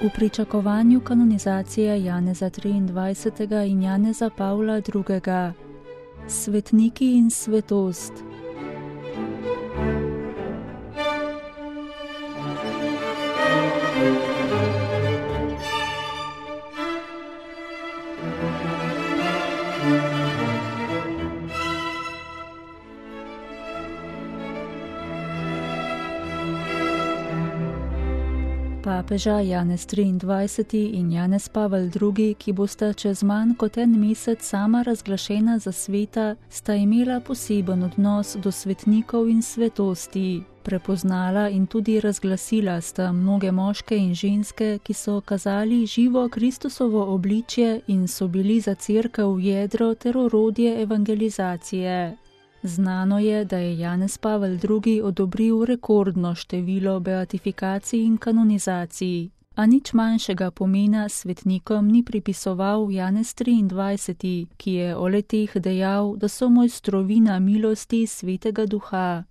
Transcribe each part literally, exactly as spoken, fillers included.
V pričakovanju kanonizacije Janeza triindvajsetega in Janeza Pavla drugega. Svetniki in svetost. Papeža Janez triindvajseti in Janez Pavel drugi, ki bosta čez manj kot en mesec sama razglašena za sveta, sta imela poseben odnos do svetnikov in svetosti. Prepoznala in tudi razglasila sta mnoge moške in ženske, ki so kazali živo Kristusovo obličje in so bili za cerkev jedro ter orodje evangelizacije. Znano je, da je Janez Pavel drugi odobril rekordno število beatifikacij in kanonizacij, a nič manjšega pomena svetnikom ni pripisoval Janez triindvajseti, ki je o le-teh dejal, da so mojstrovina milosti Svetega Duha.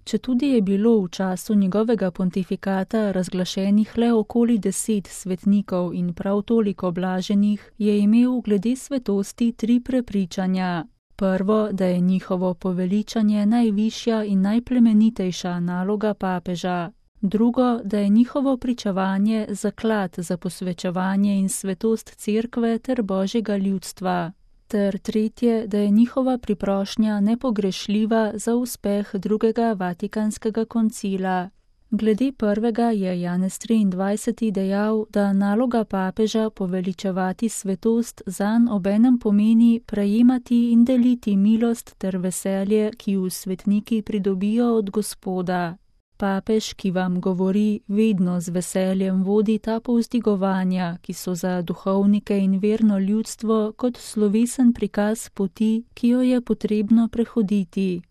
Četudi je bilo v času njegovega pontifikata razglašenih le okoli deset svetnikov in prav toliko blaženih, je imel glede svetosti tri prepričanja. Prvo, da je njihovo poveličanje najvišja in najplemenitejša naloga papeža. Drugo, da je njihovo pričevanje zaklad za posvečevanje in svetost cerkve ter božjega ljudstva. Ter tretje, da je njihova priprošnja nepogrešljiva za uspeh drugega Vatikanskega koncila. Glede prvega je Janez triindvajseti dejal, da naloga papeža poveličevati svetost zanj obenem pomeni prejemati in deliti milost ter veselje, ki ju svetniki pridobijo od Gospoda. Papež, ki vam govori, vedno z veseljem vodi ta povzdigovanja, ki so za duhovnike in verno ljudstvo kot slovesen prikaz poti, ki jo je potrebno prehoditi.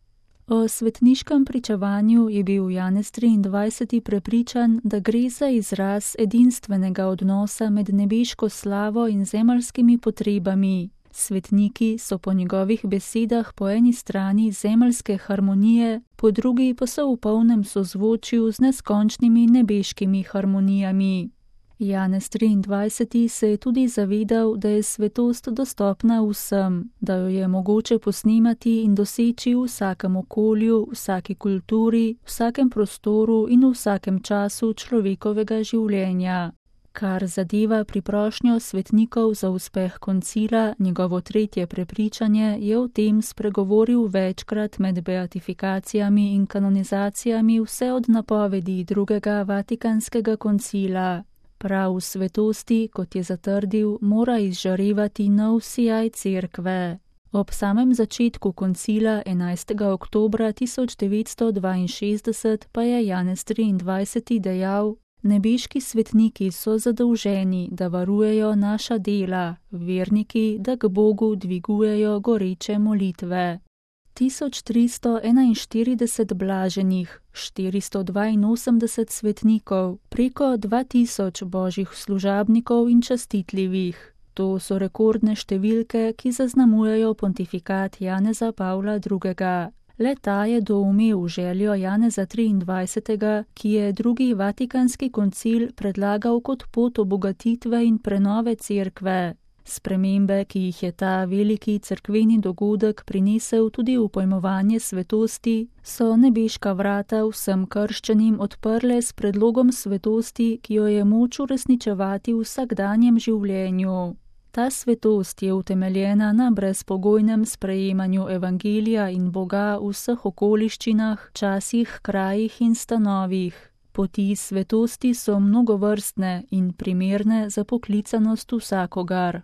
O svetniškem pričevanju je bil Janez triindvajseti prepričan, da gre za izraz edinstvenega odnosa med nebeško slavo in zemeljskimi potrebami. Svetniki so po njegovih besedah po eni strani zemeljske harmonije, po drugi pa so v polnem sozvočju z neskončnimi nebeškimi harmonijami. Janez triindvajseti se je tudi zavedal, da je svetost dostopna vsem, da jo je mogoče posnemati in doseči v vsakem okolju, vsaki kulturi, vsakem prostoru in v vsakem času človekovega življenja. Kar zadeva priprošnjo svetnikov za uspeh koncila, njegovo tretje prepričanje je o tem spregovoril večkrat med beatifikacijami in kanonizacijami vse od napovedi drugega Vatikanskega koncila. Prav v svetosti, kot je zatrdil, mora izžarevati nov sijaj cerkve. Ob samem začetku koncila enajstega oktobra tisoč devetsto dvainšestdeset pa je Janez triindvajseti dejal: nebeški svetniki so zadolženi, da varujejo naša dela, verniki, da k Bogu dvigujejo goreče molitve. tisoč tristo enainštirideset blaženih, štiristo dvainosemdeset svetnikov, preko dva tisoč božjih služabnikov in častitljivih. To so rekordne številke, ki zaznamujejo pontifikat Janeza Pavla drugega. Le ta je doumel željo Janeza triindvajsetega, ki je drugi Vatikanski koncil predlagal kot pot obogatitve in prenove cerkve. Spremembe, ki jih je ta veliki cerkveni dogodek prinesel tudi v pojmovanje svetosti, so nebeška vrata vsem krščanim odprle s predlogom svetosti, ki jo je moč uresničevati v vsakdanjem življenju. Ta svetost je utemeljena na brezpogojnem sprejemanju evangelija in Boga v vseh okoliščinah, časih, krajih in stanovih. Poti svetosti so mnogovrstne in primerne za poklicanost vsakogar.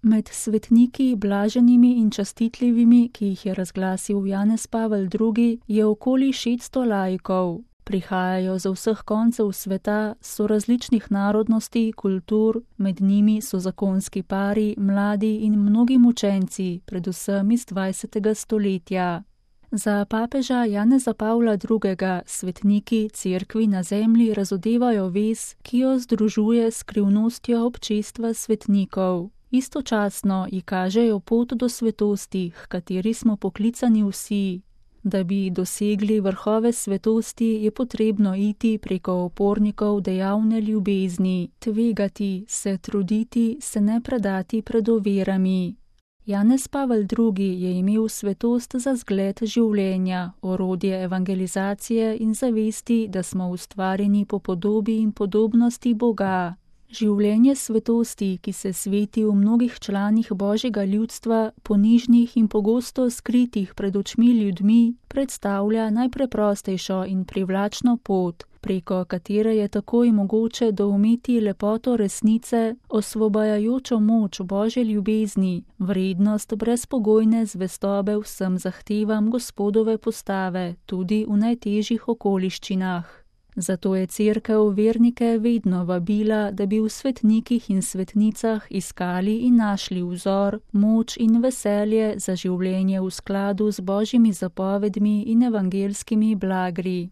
Med svetniki, blaženimi in častitljivimi, ki jih je razglasil Janez Pavel drugi, je okoli šeststo laikov. Prihajajo z vseh koncev sveta, so različnih narodnosti, kultur, med njimi so zakonski pari, mladi in mnogi mučenci, predvsem iz dvajsetega stoletja. Za papeža Janeza Pavla drugega svetniki cerkvi na zemlji razodevajo vez, ki jo združuje s skrivnostjo občestva svetnikov. Istočasno ji kažejo pot do svetosti, h kateri smo poklicani vsi. Da bi dosegli vrhove svetosti, je potrebno iti preko opornikov dejavne ljubezni, tvegati, se truditi, se ne predati pred ovirami. Janez Pavel drugi je imel svetost za zgled življenja, orodje evangelizacije in zavesti, da smo ustvarjeni po podobi in podobnosti Boga. Življenje svetosti, ki se sveti v mnogih članih Božjega ljudstva, ponižnih in pogosto skritih pred očmi ljudmi, predstavlja najpreprostejšo in privlačno pot, preko katere je takoj mogoče doumeti lepoto resnice, osvobajajočo moč Božje ljubezni, vrednost brezpogojne zvestobe vsem zahtevam Gospodove postave, tudi v najtežjih okoliščinah. Zato je Cerkev vernike vedno vabila, da bi v svetnikih in svetnicah iskali in našli vzor, moč in veselje za življenje v skladu z Božjimi zapovedmi in evangelskimi blagri.